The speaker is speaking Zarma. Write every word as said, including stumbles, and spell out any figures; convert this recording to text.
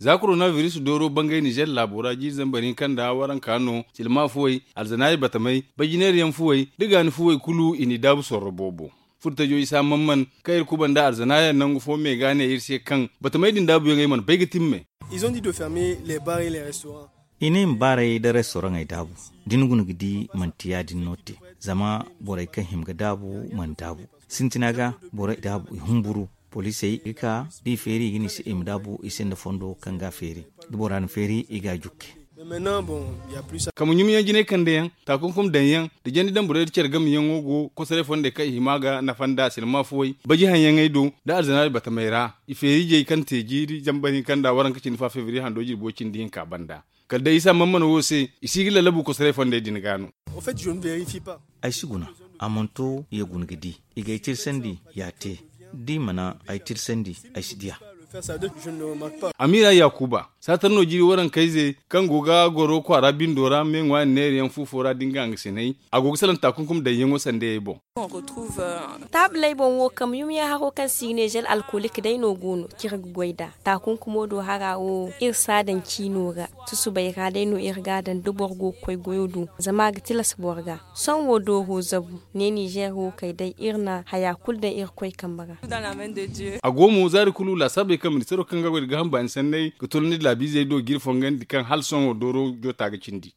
Za korona biris dooro bangay nizer laabo ra jiiri zambar hinka nda waranka no, silma fuwey, alzanaari batamey, bajineeriyaŋ fuwey, da gaani fuwey kulu i n'i daabu sorro boobo. Furtajo isa man man, kaŋ iri kuba nda alzanaayaŋ nangu fo me ga ne iri se kaŋ batamey din daabuyaŋey mana bay ga timme. I ne i ma baaray nda restoraŋey daabu. Da ni guna ga di manti ya- din no te, zama borey kaŋ hima ga daabu mana daabu. Sintina ga borey daabu i humburu. Poliisey ga ka da i feeri i ga ne i se i ma daabu i se nda fondo kaŋ ga a feeri. Da bora na feeri i ga a jukke. Kama ɲumyaŋ jinay kande yaŋ, taakunkum daŋ yaŋ, da jandi daŋ borey da care game yaŋo go kosoray fondey kaŋ i hima ga nafa nda silma fuwey baji haŋyaŋey do, da alzanaari batamey ra. I feeri ijey kaŋ te jiiri zambar hinka nda waranka cindi fa febriye hando jirbo cindi hinka banda. Kala day isa man man wo se, i si ga lallabu kosoray fondey din ga no. Ay si guna. A mana to ya guna ga di. I ga ay tirsandi ya te. Da i mana ay tirsandi, ay si di a. Amiira yaakuba, saatar no jiiri warankayze kaŋ go ga goro kwaara bindo ra me ŋwaani neerayaŋ fu fo ra da nga hangasinay, a go ga salaŋ taakunkum daŋyaŋo sandayey boŋ. Taabuley boŋ wo kamyumyaŋ haro kaŋ si ga ne zel alkolik day no go no kaŋ iri ga goy nd'a. Taakunkumo do hara wo iri si a daŋ ciino ra. Susubay ra day no iri ga a daŋ da boro go ga koy goyo do, zama a ga tilas boro ga. Sohõ wo dooro zabu ne nizer wo kay day iri na haya kulu daŋ irkoy kambe ra. A go mo zaari kulu laasaabey kaŋ ministaro kaŋ ga goy nda gaaham baani sanney ga tolandi laabiizey do ga iri fongandi kaŋ hala sohõ wo dooro joota ga cindi.